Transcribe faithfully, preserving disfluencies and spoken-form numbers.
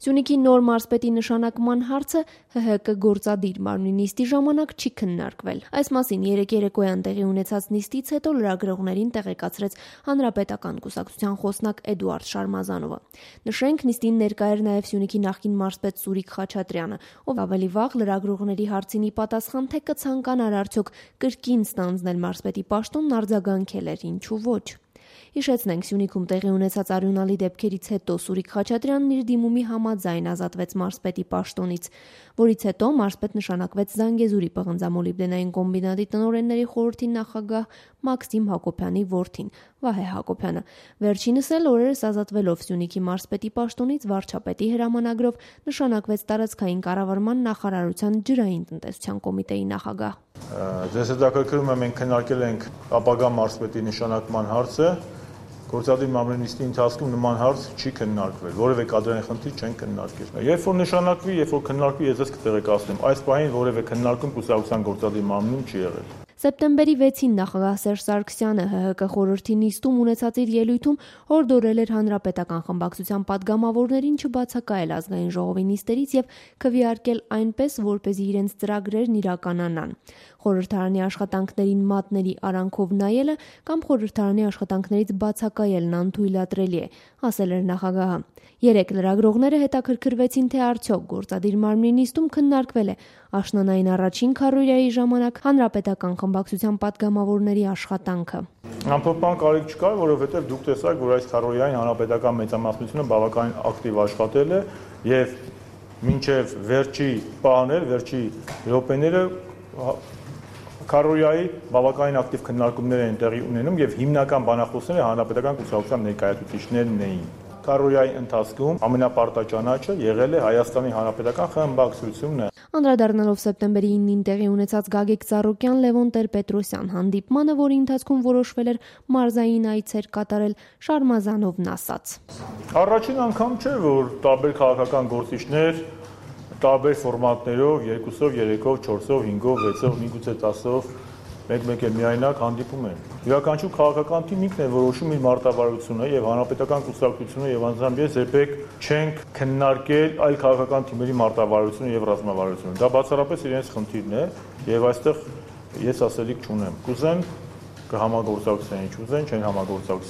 Սյունիքի նոր մարզպետի նշանակման հարցը Հ Հ Կ գործադիր մարմնի նիստի ժամանակ չի քննարկվել։ Այս մասին երեկ երեկոյան տեղի ունեցած նիստից հետո լրագրողներին տեղեկացրեց Հանրապետական կուսակցության խոսնակ Էդուարդ Շարմազանովը։ Նշենք, նիստին ներկա էր նաև Սյունիքի նախկին մարզպետ Սուրիկ Խաչատրյանը, ով ավելի վաղ լրագրողների հարցին ի պատասխան, թե կցանկանար արդյոք կրկին ստանձնել մարզպետի պաշտոնն, արձագանքել էր, ինչու ոչ։ Հիշեցնենք, Սյունիքում տեղի ունեցած արյունալի դեպքերից հետո Սուրիկ Խաչատրյանն իր դիմումի համաձայն ազատվեց մարզպետի պաշտոնից, որից հետո մարզպետ նշանակվեց Զանգեզուրի պղնձամոլիբդենային կոմբինատի տնօրենների խորհրդի նախագահ Մաքսիմ Հակոբյանի որդին Վահե Հակոբյանը։ Վերջինս էլ օրերս ազատվելով Սյունիքի մարզպետի պաշտոնից վարչապետի հրամանագրով նշանակվեց տարածքային կառավարման նախարարության ջրային տնտեսության կոմիտեի նախագահ։ Ձեզ հետաքրքրում է, մենք քննարկել ենք ապագա մարզպետի նշանակման հարցը։ Գործադիր մարմնի նիստի ընթացքում նման հարց չի քննարկվել, որևէ կադրային խնդիր չեն քննարկել։ Երբ որ նշանակվի, երբ որ քննարկվի, ես ձեզ կտեղեկացնեմ, այս պահին որևէ քննարկում կուսակցության գործադիր մարմնում չի եղել։ Սեպտեմբերի վեցին նախագահ Սերժ Սարգսյանը Հ Հ Կ խորհրդի նիստում ունեցած իր ելույթում հորդորել էր հանրապետական խմբակցության պատգամավորներին չբացակայել ազգային ժողովի նիստերից եւ քվեարկել այնպես, որպեսզի իրենց ծրագրերն իրականանան։ Խորհրդարանի աշխատանքներին մատների արանքով նայելը կամ խորհրդարանի աշխատանքներից բացակայելն անթույլատրելի է, ասել էր նախագահը։ Երեք լրագրողները հետաքրքրվեցին, թե արդյոք գործադիր մարմնի նիստում քննարկվել է աշնանային առաջին քառորիայի ժամանակ հանրապետական խմբակցության պատգամավորների աշխատանքը։ Ամփոփման կարիք չկա, որովհետև դուք տեսաք, որ այս քառորիային հանրապետական մեծամասնությունը բավականին ակտիվ աշխատել է եւ մինչեւ վերջի պահներ, վերջի րոպեները քառորիայի բավականին ակտիվ քննարկումներ են տեղի ունենում եւ հիմնական բանախոսները հանրապետական կուսակցության ներկայացուցիչներն էին։ Քառորիայի ընթացքում ամենապարտաճանաչը եղել է Հայաստանի Հանրապետական խմբակցությունը։ Անդրադառնալով սեպտեմբերի իննին տեղի ունեցած Գագիկ Ծառուկյան Լևոն Տեր-Պետրոսյան հանդիպմանը, որի ընթացքում որոշվել էր մարզային այցեր կատարել, Շարմազանովն ասաց. Առաջին անգամ չէ, որ տարբեր քաղաքական գործիչներ տարբեր ֆորմատներով, երկուսով, երեքով, չորսով, հինգով, վեցով, միգուցե տասով, մեկ-մեկ էլ միայնակ հանդիպում են։ Յուրաքանչյուր քաղաքական թիմ ինքն է որոշում իր մարտավարությունը եւ հանրապետական կուսակցությունը եւ անձամբ ես երբեք չենք քննարկել այլ քաղաքական թիմերի մարտավարությունը եւ ռազմավարությունը։ Դա բացառապես իրենց խնդիրն է եւ այստեղ ես ասելիք չունեմ։ Կուզեն կհամագործակցեն, ինչ ուզեն, չեն համագործակցի։